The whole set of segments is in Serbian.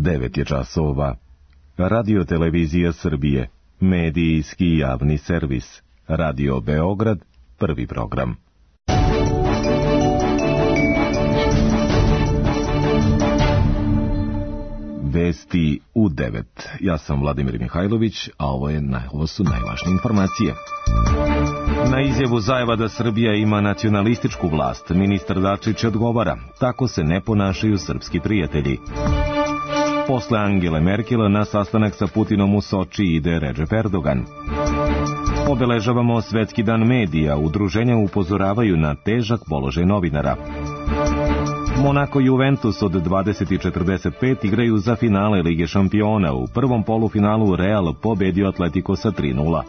9 je časova. Radio Televizija Srbije, medijski javni servis. Radio Beograd, prvi program. Vesti u 9. Ja sam Vladimir Mihajlović, a ovo su najvažnije informacije. Na izjavu Zajeva da Srbija ima nacionalističku vlast, ministar Dačić odgovara: tako se ne ponašaju srpski prijatelji. Posle Angele Merkel na sastanak sa Putinom u Soči ide Recep Erdogan. Obeležavamo Svetski dan medija, udruženja upozoravaju na težak položaj novinara. Monako i Juventus od 20:45 igraju za finale Lige šampiona. U prvom polufinalu Real pobedio Atletico sa 3:0.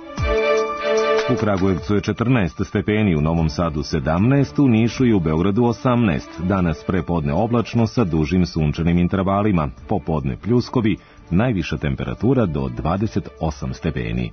U Kragujevcu je 14 stepeni, u Novom Sadu 17, u Nišu i u Beogradu 18. Danas prepodne oblačno sa dužim sunčanim intervalima. Popodne pljuskovi, najviša temperatura do 28 stepeni.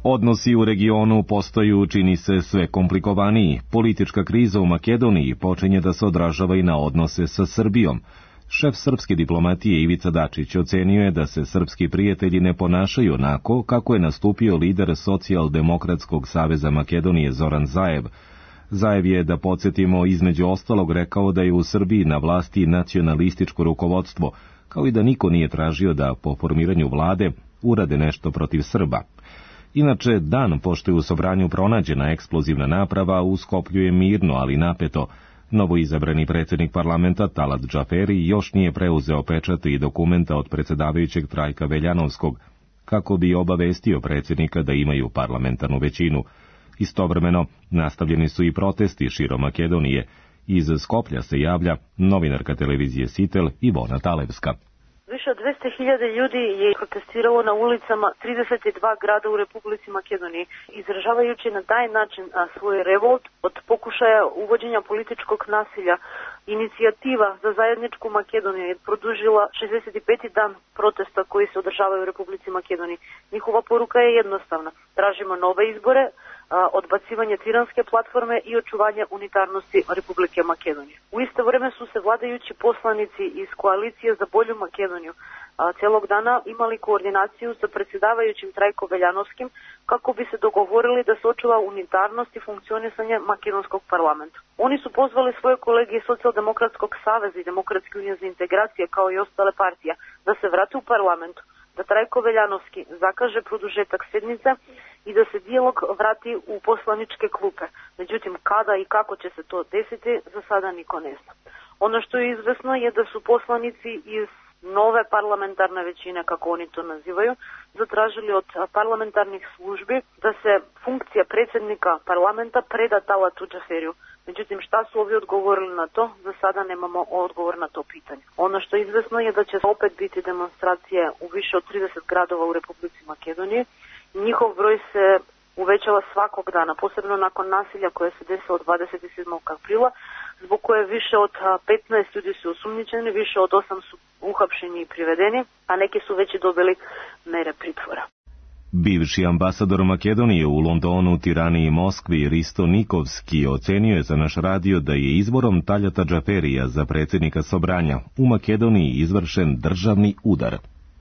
Odnosi u regionu postaju, čini se, sve komplikovaniji. Politička kriza u Makedoniji počinje da se odražava i na odnose sa Srbijom. Šef srpske diplomatije Ivica Dačić ocenio je da se srpski prijatelji ne ponašaju onako kako je nastupio lider Socijaldemokratskog saveza Makedonije Zoran Zaev. Zaev je, da podsjetimo, između ostalog rekao da je u Srbiji na vlasti nacionalističko rukovodstvo, kao i da niko nije tražio da po formiranju vlade urade nešto protiv Srba. Inače, dan pošto je u Sobranju pronađena eksplozivna naprava, u Skoplju je mirno, ali napeto. Novoizabrani predsjednik parlamenta Talat Džaferi još nije preuzeo pečate i dokumenta od predsjedavajućeg Trajka Veljanovskog, kako bi obavestio predsjednika da imaju parlamentarnu većinu. Istovremeno, nastavljeni su i protesti širom Makedonije. Iz Skoplja se javlja novinarka televizije Sitel Ivona Talevska. Više od 200.000 ljudi je protestiralo na ulicama 32 grada u Republici Makedoniji, izražavajući na taj način svoj revolt od pokušaja uvođenja političkog nasilja. Inicijativa za zajedničku Makedoniju je produžila 65. dan protesta koji se održavaju u Republici Makedoniji. Njihova poruka je jednostavna: tražimo nove izbore, odbacivanje tiranske platforme i očuvanje unitarnosti Republike Makedonije. U isto vrijeme su se vladajući poslanici iz koalicije za bolju Makedoniju cijelog dana imali koordinaciju sa predsjedavajućim Trajko Veljanovskim kako bi se dogovorili da se očuva unitarnost i funkcionisanje makedonskog parlamenta. Oni su pozvali svoje kolege iz Socijaldemokratskog saveza i Demokratske unije za integracije, kao i ostale partije, da se vrate u parlamentu, da Trajko Veljanovski zakaže produžetak sjednice i da se dijalog vrati u poslaničke klupe. Međutim, kada i kako će se to desiti, za sada niko ne zna. Ono što je izvesno je da su poslanici iz nove parlamentarne većine, kako oni to nazivaju, zatražili od parlamentarnih službi da se funkcija predsjednika parlamenta preda Talatu Džaferiju. Međutim, šta su ovi odgovorili na to? Za sada nemamo odgovor na to pitanje. Ono što je izvesno je da će opet biti demonstracije u više od 30 gradova u Republici Makedoniji. Njihov broj se uvećava svakog dana, posebno nakon nasilja koje se desilo 27. aprila, zbog koje više od 15 ljudi su osumnjičeni, više od 8 su uhapšeni i privedeni, a neki su već i dobili mere pritvora. Bivši ambasador Makedonije u Londonu, Tirani i Moskvi Risto Nikovski ocenio je za naš radio da je izborom Taljata Džaferija za predsjednika Sobranja u Makedoniji izvršen državni udar.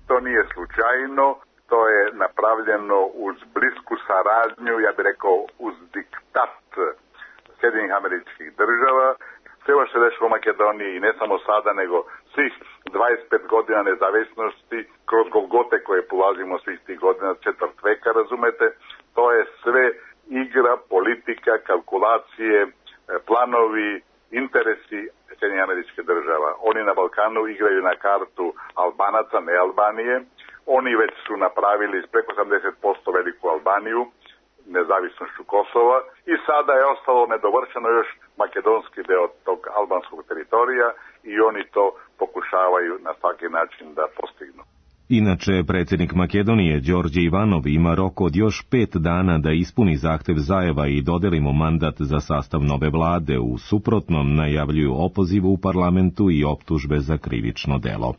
To nije slučajno, to je napravljeno uz blisku saradnju, ja bih rekao uz diktat Sjedinjenih Američkih Država. Sve ovo što se dešava u Makedoniji, i ne samo sada, nego svih 25 godina nezavisnosti, kroz golgote koje polazimo svih tih godina, četvrt veka, razumete, to je sve igra, politika, kalkulacije, planovi, interesi Sjedinjenih Američkih Država. Oni na Balkanu igraju na kartu Albanaca, ne Albanije. Oni već su napravili preko 80% veliku Albaniju, nezavisnošću Kosova, i sada je ostalo nedovršeno još makedonski deo tog albanskog teritorija i oni to pokušavaju na svaki način da postignu. Inače, predsjednik Makedonije Đorđe Ivanov ima rok od još 5 dana da ispuni zahtev Zajeva i dodeli mu mandat za sastav nove vlade. U suprotnom najavljuju opoziv u parlamentu i optužbe za krivično delo.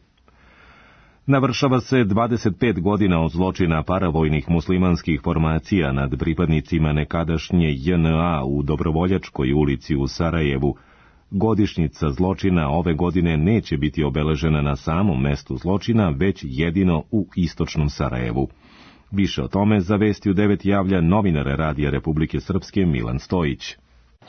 Navršava se 25 godina od zločina paravojnih muslimanskih formacija nad pripadnicima nekadašnje JNA u Dobrovoljačkoj ulici u Sarajevu. Godišnjica zločina ove godine neće biti obeležena na samom mestu zločina, već jedino u istočnom Sarajevu. Više o tome za Vesti u 9 javlja novinar Radija Republike Srpske Milan Stojić.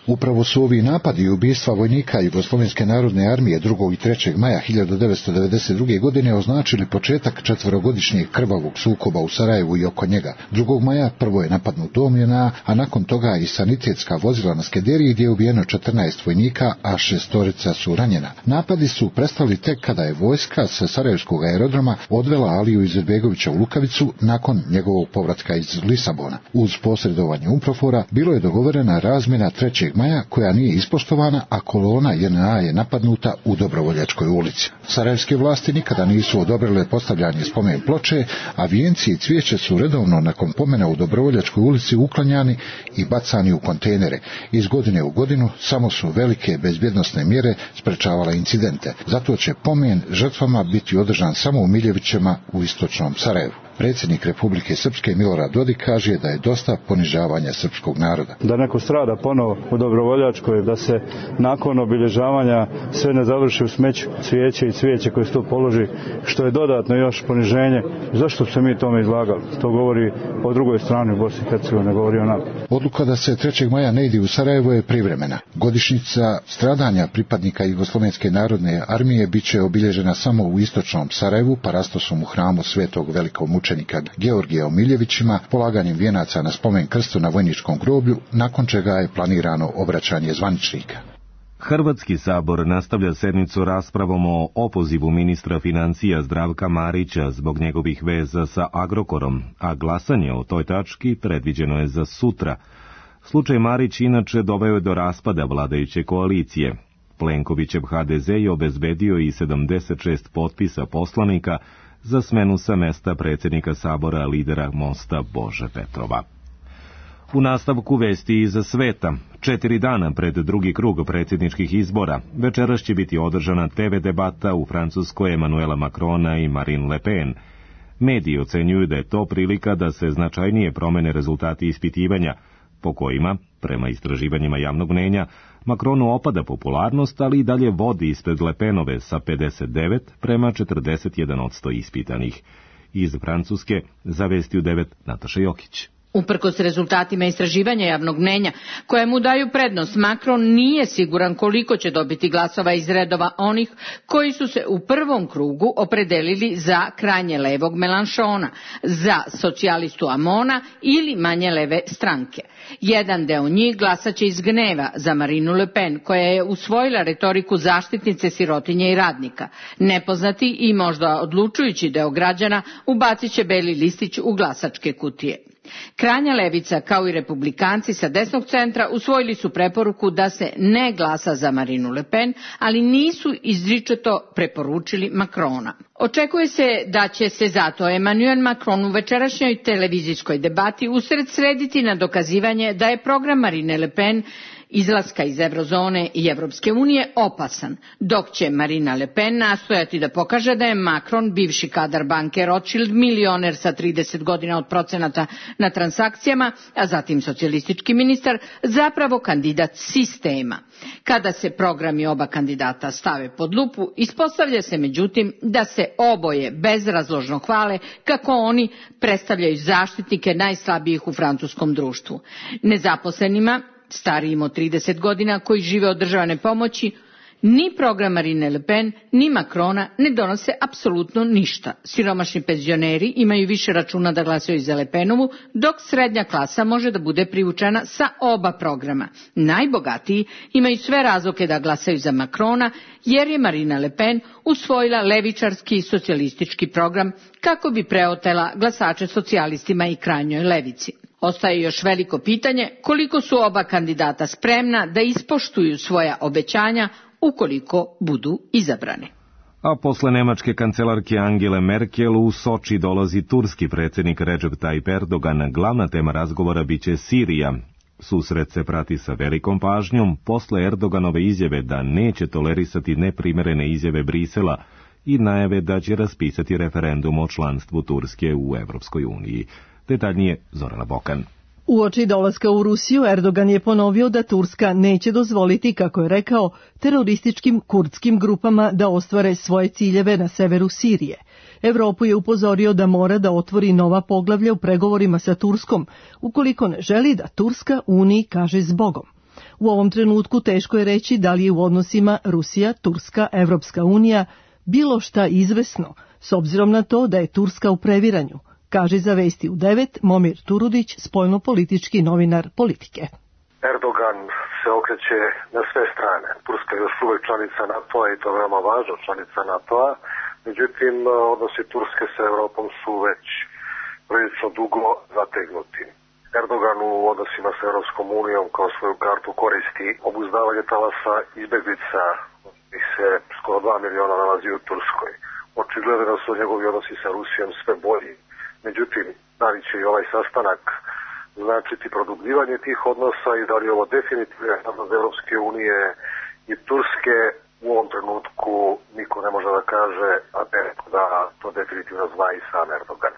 Upravo su ovi napadi i ubistva vojnika Jugoslovenske narodne armije 2. i 3. maja 1992. godine označili početak 4-godišnjeg krvavog sukoba u Sarajevu i oko njega. 2. maja prvo je napadnut dom JNA, a nakon toga i sanitetska vozila na Skederiji gdje je ubijeno 14 vojnika, a 6 su ranjena. Napadi su prestali tek kada je vojska sa Sarajevskog aerodroma odvela Aliju Izetbegovića u Lukavicu nakon njegovog povratka iz Lisabona. Uz posredovanje UNPROFOR-a bilo je dogovorena razmjena 3. maja koja nije ispoštovana, a kolona JNA je napadnuta u Dobrovoljačkoj ulici. Sarajevske vlasti nikada nisu odobrile postavljanje spomen ploče, a vijenci i cvijeće su redovno nakon pomena u Dobrovoljačkoj ulici uklanjani i bacani u kontejnere. Iz godine u godinu samo su velike bezbjednosne mjere sprečavale incidente. Zato će pomen žrtvama biti održan samo u Miljevićima u istočnom Sarajevu. Predsjednik Republike Srpske Milorad Dodik kaže da je dosta ponižavanja srpskog naroda. Da neko strada ponovo u Dobrovoljačkoj, da se nakon obilježavanja sve ne završi u smeću, cvijeće i cvijeće koje se tu položi, što je dodatno još poniženje. Zašto se mi tome izlagali? To govori o drugoj strani u Bosni i Hercegovini, ne govori o nama. Odluka da se 3. maja ne ide u Sarajevo je privremena. Godišnjica stradanja pripadnika Jugoslovenske narodne armije bit će obilježena samo u istočnom Sarajevu, parastosom u hramu Svetog velikog mučenika Georgija u Miljevićima, polaganjem vijenaca na spomen krstu na vojničkom groblju, nakon čega je planirano obraćanje zvaničnika. Hrvatski sabor nastavlja sednicu raspravom o opozivu ministra financija Zdravka Marića zbog njegovih veza sa Agrokorom, a glasanje o toj tački predviđeno je za sutra. Slučaj Marić inače doveo je do raspada vladajuće koalicije. Plenkovićev HDZ je obezbedio i 76 potpisa poslanika za smenu sa mesta predsjednika sabora lidera Mosta Bože Petrova. U nastavku vesti iza sveta, 4 dana pred drugi krug predsjedničkih izbora, večeras će biti održana TV debata u Francuskoj Emanuela Macrona i Marine Le Pen. Mediji ocenjuju da je to prilika da se značajnije promene rezultati ispitivanja, po kojima, prema istraživanjima javnog mnjenja, Macronu opada popularnost, ali i dalje vodi ispred Le Penove sa 59 prema 41% ispitanih. Iz Francuske za Vesti u 9 Nataša Jokić. Uprkos rezultatima istraživanja javnog mnjenja, koje mu daju prednost, Macron nije siguran koliko će dobiti glasova iz redova onih koji su se u prvom krugu opredelili za krajnje levog Mélenchona, za socijalistu Amona ili manje leve stranke. Jedan deo njih glasaće iz gneva za Marinu Le Pen, koja je usvojila retoriku zaštitnice sirotinje i radnika. Nepoznati i možda odlučujući deo građana ubacit će beli listić u glasačke kutije. Krajnja levica, kao i republikanci sa desnog centra, usvojili su preporuku da se ne glasa za Marinu Le Pen, ali nisu izričito preporučili Macrona. Očekuje se da će se zato Emmanuel Macron u večerašnjoj televizijskoj debati usredsrediti na dokazivanje da je program Marine Le Pen izlaska iz eurozone i Evropske unije opasan, dok će Marina Le Pen nastojati da pokaže da je Macron, bivši kadar banke Rothschild, milioner sa 30 godina od procenata na transakcijama, a zatim socijalistički ministar, zapravo kandidat sistema. Kada se programi oba kandidata stave pod lupu, ispostavlja se međutim da se oboje bezrazložno hvale kako oni predstavljaju zaštitnike najslabijih u francuskom društvu. Nezaposlenima, starijim od 30 godina koji žive od državne pomoći, ni program Marine Le Pen, ni Macrona ne donose apsolutno ništa. Siromašni penzioneri imaju više računa da glasaju za Le Penovu, dok srednja klasa može da bude privučena sa oba programa. Najbogatiji imaju sve razloge da glasaju za Macrona, jer je Marina Le Pen usvojila levičarski socijalistički program kako bi preotela glasače socijalistima i krajnjoj levici. Ostaje još veliko pitanje koliko su oba kandidata spremna da ispoštuju svoja obećanja ukoliko budu izabrani. A posle nemačke kancelarke Angele Merkel u Soči dolazi turski predsjednik Recep Tayyip Erdogan. Glavna tema razgovora biće Sirija. Susret se prati sa velikom pažnjom posle Erdoganove izjave da neće tolerisati neprimerene izjave Brisela i najave da će raspisati referendum o članstvu Turske u Evropskoj uniji. Detaljnije Zorana Bokan. Uoči dolaska u Rusiju, Erdogan je ponovio da Turska neće dozvoliti, kako je rekao, terorističkim kurdskim grupama da ostvare svoje ciljeve na severu Sirije. Evropu je upozorio da mora da otvori nova poglavlja u pregovorima sa Turskom, ukoliko ne želi da Turska Uniji kaže zbogom. U ovom trenutku teško je reći da li je u odnosima Rusija, Turska, Evropska unija bilo šta izvesno, s obzirom na to da je Turska u previranju, kaže za Vesti u 9 Momir Turudić, spoljnopolitički novinar Politike. Erdogan se okreće na sve strane. Turska je još uvek članica NATO-a i to veoma važno članica NATO-a. Međutim, odnosi Turske sa Evropom su već prilično dugo zategnuti. Erdogan u odnosima sa Evropskom unijom kao svoju kartu koristi obuzdavanje talasa izbeglica, ih se skoro 2 miliona nalazi u Turskoj. Očigledno da su njegovi odnosi sa Rusijom sve bolji. Međutim, da li će i ovaj sastanak značiti produbljivanje tih odnosa i da li ovo definitivno od Evropske unije i Turske, u ovom trenutku niko ne može da kaže, a da to definitivno zna i sam Erdogan.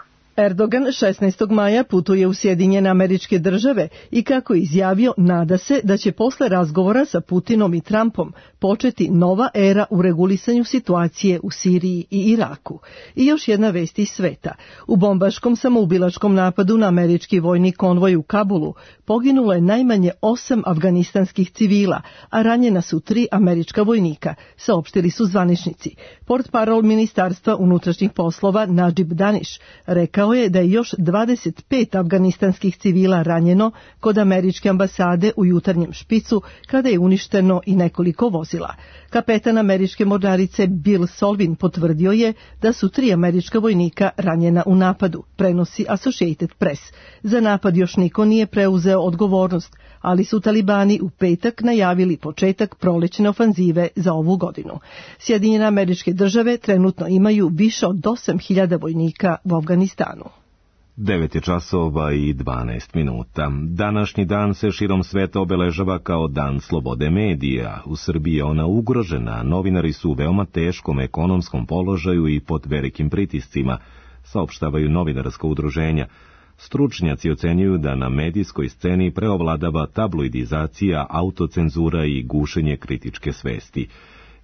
Erdogan 16. maja putuje u Sjedinjene Američke Države i, kako je izjavio, nada se da će posle razgovora sa Putinom i Trumpom početi nova era u regulisanju situacije u Siriji i Iraku. I još jedna vest iz sveta. U bombaškom samoubilačkom napadu na američki vojni konvoj u Kabulu poginulo je najmanje 8 afganistanskih civila, a ranjena su 3 američka vojnika, saopštili su zvaničnici. Portparol Ministarstva unutrašnjih poslova Nadžib Daniš rekao je da je još 25 afganistanskih civila ranjeno kod američke ambasade u jutarnjem špicu, kada je uništeno i nekoliko vozila. Kapetan američke mornarice Bill Solvin potvrdio je da su 3 američka vojnika ranjena u napadu, prenosi Associated Press. Za napad još niko nije preuzeo odgovornost, ali su talibani u petak najavili početak prolećne ofanzive za ovu godinu. Sjedinjene Američke Države trenutno imaju više od 8.000 vojnika u Afganistanu. 9 je časova i 12 minuta. Današnji dan se širom sveta obeležava kao Dan slobode medija. U Srbiji je ona ugrožena, novinari su u veoma teškom ekonomskom položaju i pod velikim pritiscima, saopštavaju novinarska udruženja. Stručnjaci ocenjuju da na medijskoj sceni preovladava tabloidizacija, autocenzura i gušenje kritičke svesti.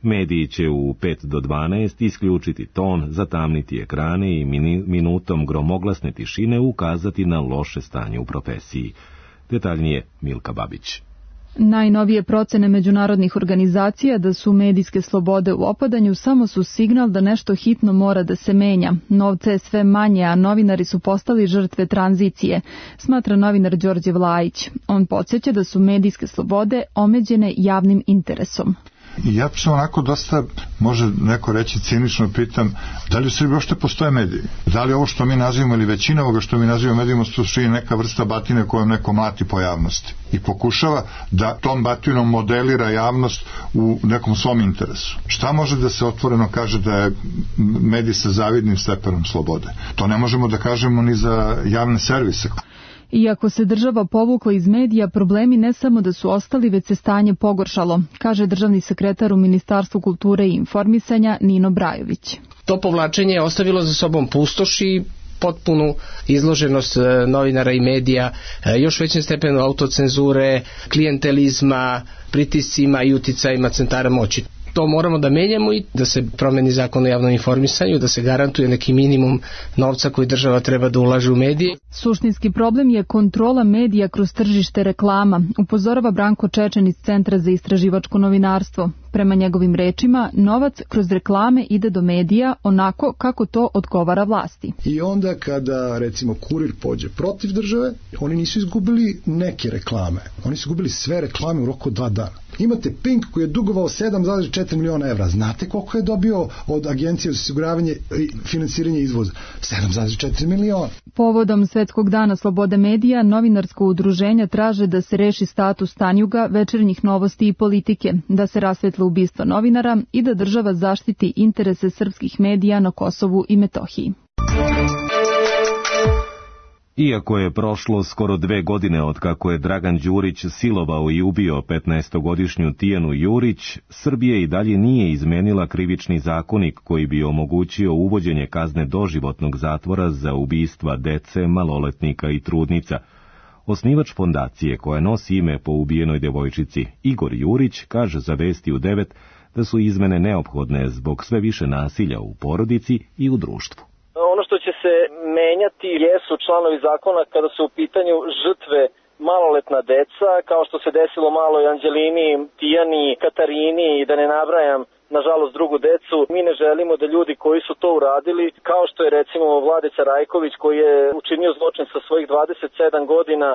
Mediji će u 5 do 12 isključiti ton, zatamniti ekrane i minutom gromoglasne tišine ukazati na loše stanje u profesiji. Detaljnije Milka Babić. Najnovije procene međunarodnih organizacija da su medijske slobode u opadanju samo su signal da nešto hitno mora da se menja. Novca je sve manje, a novinari su postali žrtve tranzicije, smatra novinar Đorđe Vlajić. On podsjeća da su medijske slobode omeđene javnim interesom. I ja se onako dosta, može neko reći, cinično pitam, da li u Srbiji uopšte postoje mediji? Da li ovo što mi nazivamo ili većina ovoga što mi nazivamo medijima je neka vrsta batine kojom neko mlati po javnosti i pokušava da tom batinom modelira javnost u nekom svom interesu. Šta može da se otvoreno kaže da je medij sa zavidnim stepenom slobode? To ne možemo da kažemo ni za javne servise. Iako se država povukla iz medija, problemi ne samo da su ostali, već se stanje pogoršalo, kaže državni sekretar u Ministarstvu kulture i informisanja Nino Brajović. To povlačenje je ostavilo za sobom pustoš i potpunu izloženost novinara i medija, još većem stepenu autocenzure, klijentelizma, pritiscima i uticajima centara moći. To moramo da menjamo i da se promeni zakon o javnom informisanju, da se garantuje neki minimum novca koji država treba da ulaže u medije. Suštinski problem je kontrola medija kroz tržište reklama, upozorava Branko Čečen iz Centra za istraživačko novinarstvo. Prema njegovim rečima, novac kroz reklame ide do medija onako kako to odgovara vlasti. I onda kada, recimo, Kurir pođe protiv države, oni nisu izgubili neke reklame. Oni su izgubili sve reklame u roku 2 dana. Imate Pink koji je dugovao 7,4 miliona evra. Znate koliko je dobio od Agencije za osiguravanje i finansiranje izvoza? 7,4 miliona. Povodom Svetskog dana slobode medija, novinarsko udruženja traže da se reši status Tanjuga, Večernjih novosti i Politike, da se rasvetli ubistva novinara i da država zaštiti interese srpskih medija na Kosovu i Metohiji. Iako je prošlo skoro 2 godine od kako je Dragan Đurić silovao i ubio 15-godišnju Tijanu Jurić, Srbija i dalje nije izmenila krivični zakonik koji bi omogućio uvođenje kazne doživotnog zatvora za ubistva dece, maloletnika i trudnica. Osnivač fondacije koja nosi ime po ubijenoj devojčici, Igor Jurić, kaže za Vesti u 9 da su izmene neophodne zbog sve više nasilja u porodici i u društvu. Ono što će se menjati jesu članovi zakona kada su u pitanju žrtve maloletna deca, kao što se desilo malo i Anđelini, Tijani, Katarini i da ne nabrajam nažalost drugu decu. Mi ne želimo da ljudi koji su to uradili, kao što je recimo Vladica Rajković koji je učinio zločin sa svojih 27 godina,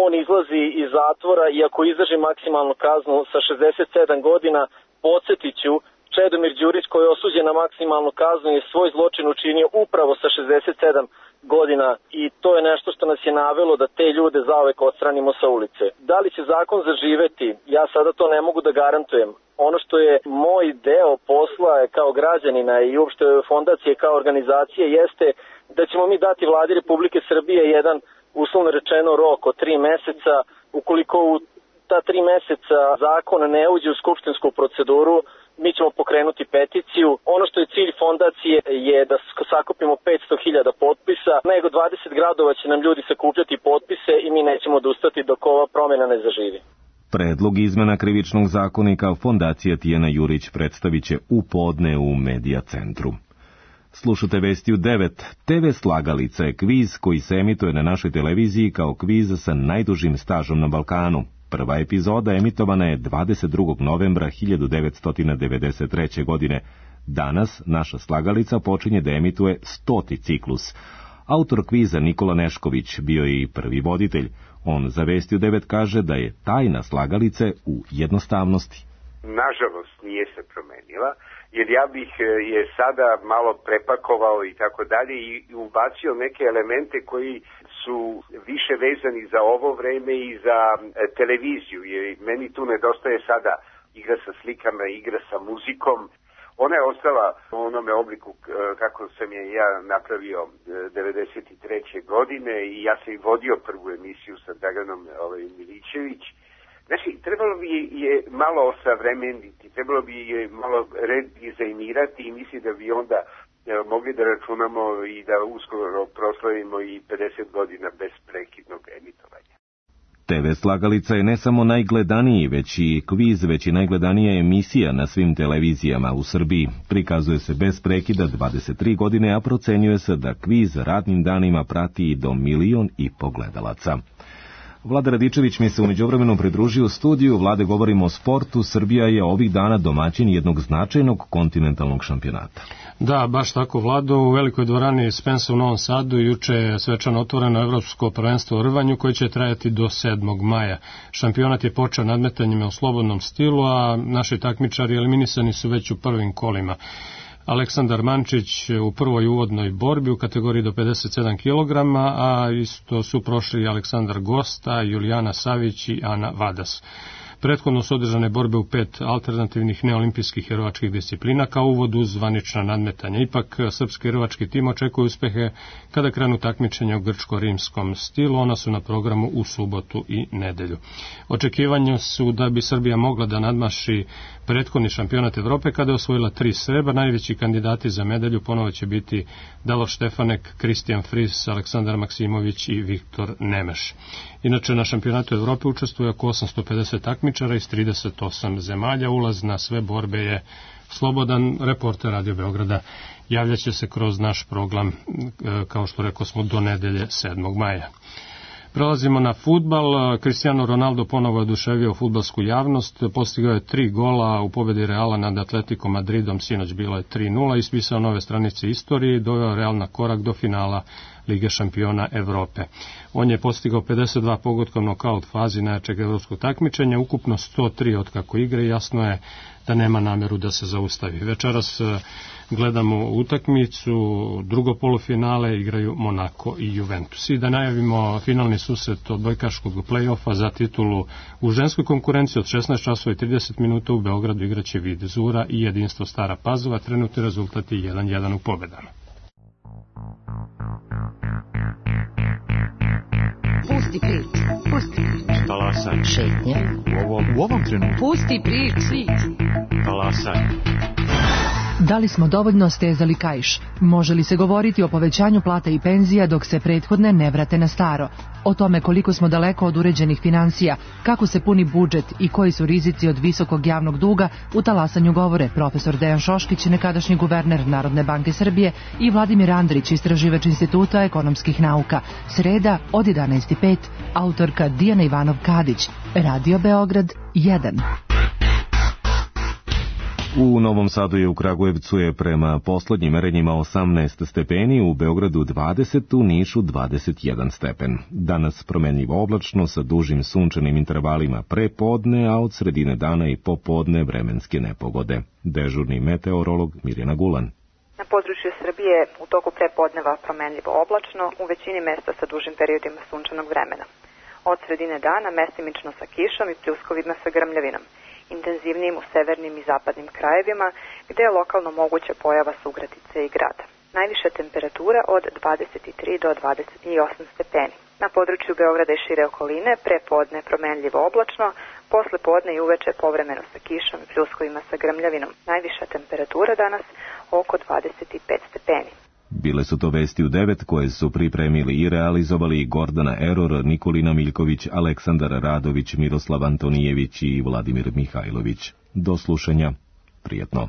on izlazi iz zatvora i ako izdrži maksimalnu kaznu sa 67 godina, podsjetiću, Čedomir Đurić koji je osuđen na maksimalnu kaznu je svoj zločin učinio upravo sa 67 godina i to je nešto što nas je navelo da te ljude zauvek odstranimo sa ulice. Da li će zakon zaživeti? Ja sada to ne mogu da garantujem. Ono što je moj deo posla kao građanina i uopšte fondacije kao organizacije jeste da ćemo mi dati Vladi Republike Srbije jedan uslovno rečeno rok od 3 meseca. Ukoliko u ta 3 meseca zakon ne uđe u skupštinsku proceduru, mi ćemo pokrenuti peticiju. Ono što je cilj fondacije je da sakupimo 500.000 potpisa. Nego 20 gradova će nam ljudi sakupljati potpise i mi nećemo odustati dok ova promjena ne zaživi. Predlog izmena krivičnog zakonika fondacija Tijana Jurić predstavit će u podne u Medija centru. Slušate Vesti u 9. TV Slagalica je kviz koji se emituje na našoj televiziji kao kviz sa najdužim stažom na Balkanu. Prva epizoda emitovana je 22. novembra 1993. godine. Danas naša Slagalica počinje da emituje 100. ciklus. Autor kviza Nikola Nešković bio je i prvi voditelj. On za Vesti u 9 kaže da je tajna Slagalice u jednostavnosti. Nažalost nije se promenila, jer ja bih je sada malo prepakovao i tako dalje i ubacio neke elemente koji su više vezani za ovo vreme i za televiziju, jer meni tu nedostaje sada igra sa slikama, igra sa muzikom. Ona je ostala u onome obliku kako sam je ja napravio 93. godine i ja sam i vodio prvu emisiju sa Draganom Milićević. Znači, trebalo bi je malo osavremeniti, trebalo bi je malo redizajnirati i mislim da bi onda mogli da računamo i da uskoro proslavimo i 50 godina bez prekidnog emitovanja. TV Slagalica je ne samo najgledaniji, već i kviz, već i najgledanija emisija na svim televizijama u Srbiji. Prikazuje se bez prekida 23 godine, a procenjuje se da kviz radnim danima prati i do 1,5 miliona gledalaca. Vlada Radičević mi se u međuvremenu pridružio u studiju. Vlade, govorimo o sportu. Srbija je ovih dana domaćin jednog značajnog kontinentalnog šampionata. Da, baš tako, Vlado. U velikoj dvorani Spensa u Novom Sadu juče je svečano otvoreno evropsko prvenstvo u rvanju koje će trajati do 7. maja. Šampionat je počeo nadmetanjima u slobodnom stilu, a naši takmičari eliminisani su već u prvim kolima. Aleksandar Mančić u prvoj uvodnoj borbi u kategoriji do 57 kg, a isto su prošli Aleksandar Gosta, Julijana Savić i Ana Vadas. Prethodno su održane borbe u 5 alternativnih neolimpijskih jerovačkih disciplina kao uvod uz zvanična nadmetanja. Ipak srpski jerovački tim očekuje uspehe kada krenu takmičenja u grčko-rimskom stilu. Ona su na programu u subotu i nedelju. Očekivanja su da bi Srbija mogla da nadmaši prethodni šampionat Evrope kada je osvojila 3 srebra. Najveći kandidati za medalju ponovo će biti Davor Štefanek, Kristijan Fris, Aleksandar Maksimović i Viktor Nemeš. Inače, na šampionatu Evrope učestvuje oko 850 takmičara iz 38 zemalja. Ulaz na sve borbe je slobodan. Reporter Radio Beograda javljaće se kroz naš program, kao što rekao smo, do nedelje 7. maja. Prelazimo na fudbal. Cristiano Ronaldo ponovo je oduševio fudbalsku javnost. Postigao je 3 gola u pobedi Reala nad Atletico Madridom. Sinoć bilo je 3-0. Ispisao nove stranice istorije i doveo Real na korak do finala Lige šampiona Evrope. On je postigao 52 pogotka u nokaut fazi najjačeg evropskog takmičenja, ukupno 103 od kako igre i jasno je da nema nameru da se zaustavi. Večeras gledamo utakmicu, drugo polufinale igraju Monako i Juventus. I da najavimo finalni susret odbojkaškog play-offa za titulu u ženskoj konkurenciji od 16 časova i 30 minuta u Beogradu igraće Vid Zura i Jedinstvo Stara Pazova. Trenutni rezultat je 1-1 u pobedama. Pusti priču, pusti priču. Talasaj. Šetnja. U ovom trenutku. Pusti priču. Talasaj. Da li smo dovoljno stezali kaiš? Može li se govoriti o povećanju plata i penzija dok se prethodne ne vrate na staro? O tome koliko smo daleko od uređenih financija, kako se puni budžet i koji su rizici od visokog javnog duga u talasanju govore profesor Dejan Šoškić, nekadašnji guverner Narodne banke Srbije, i Vladimir Andrić, istraživač Instituta ekonomskih nauka. Sreda od 11:05, autorka Dijana Ivanov-Kadić, Radio Beograd 1. U Novom Sadu i u Kragujevcu je prema poslednjim merenjima 18 stepeni, u Beogradu 20, u Nišu 21 stepen. Danas promenljivo oblačno sa dužim sunčanim intervalima pre podne, a od sredine dana i popodne vremenske nepogode. Dežurni meteorolog Mirjana Gulan. Na području Srbije u toku prepodneva promenljivo oblačno, u većini mesta sa dužim periodima sunčanog vremena. Od sredine dana mestimično sa kišom i pljuskovima sa grmljavinom, intenzivnijim u severnim i zapadnim krajevima, gde je lokalno moguća pojava sugradice i grada. Najviša temperatura od 23 do 28 stepeni. Na području Beograda i šire okoline prepodne promenljivo oblačno, posle podne i uveče povremeno sa kišom i pljuskovima sa grmljavinom. Najviša temperatura danas oko 25 stepeni. Bile su to vesti u 9 koje su pripremili i realizovali Gordana Eror, Nikolina Miljković, Aleksandar Radović, Miroslav Antonijević i Vladimir Mihajlović. Do slušanja. Prijetno.